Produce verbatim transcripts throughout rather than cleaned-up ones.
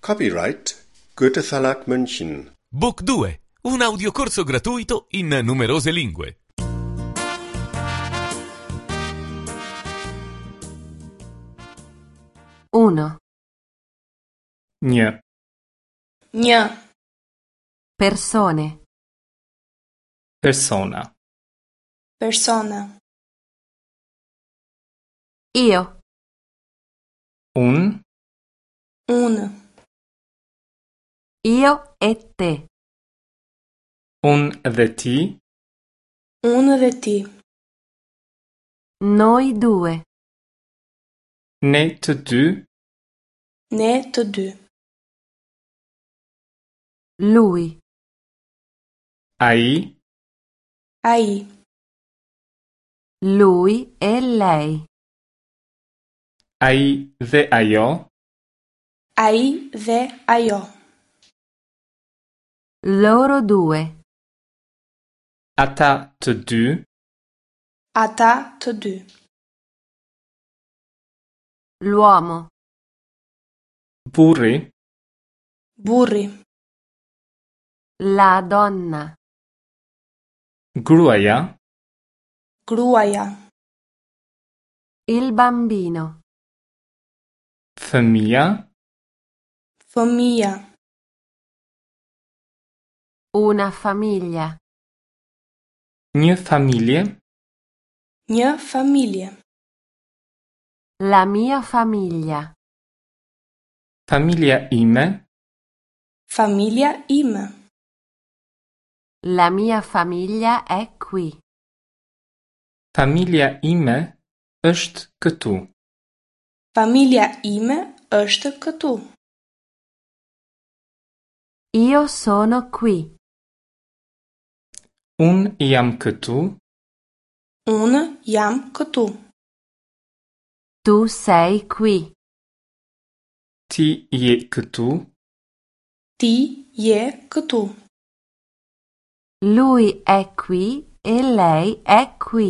Copyright Goethe Verlag München. Book due, un audiocorso gratuito in numerose lingue. Uno. Një. Një. Persone. Persona. Persona. Io. Unë. Unë. Io e te. Unë dhe ti. Unë dhe ti. Noi due. Ne të dy. Ne të dy. Lui. Ai. Ai. Lui e lei. Ai dhe ajo. Ai dhe ajo. Loro due. Ata të dy. Ata të dy. L'uomo. Burri. Burri. La donna. Gruaja. Gruaja. Il bambino. Fëmija. Fëmija. Una famiglia. Një familje. Një familje. La mia famiglia. Familja ime. Familja ime. La mia famiglia è qui. Familja ime është këtu. Familja ime është këtu. Io sono qui. Unë jam këtu. Unë jam këtu. Tu sei qui. Ti je këtu. Ti je këtu. Lui è qui e lei è qui.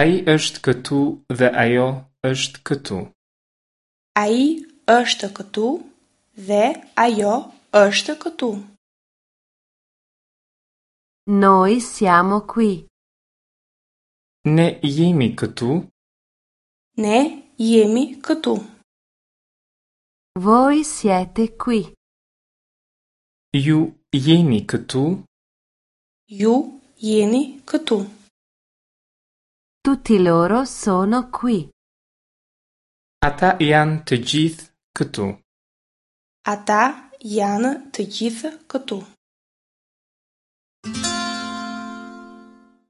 Ai është këtu dhe ajo është këtu. Ai është këtu dhe ajo është këtu. Noi siamo qui. Ne jemi këtu. Ne jemi këtu. Voi siete qui. Ju jeni këtu. Ju jeni këtu. Tutti loro sono qui. Ata janë të gjithë këtu. Ata janë të gjithë këtu.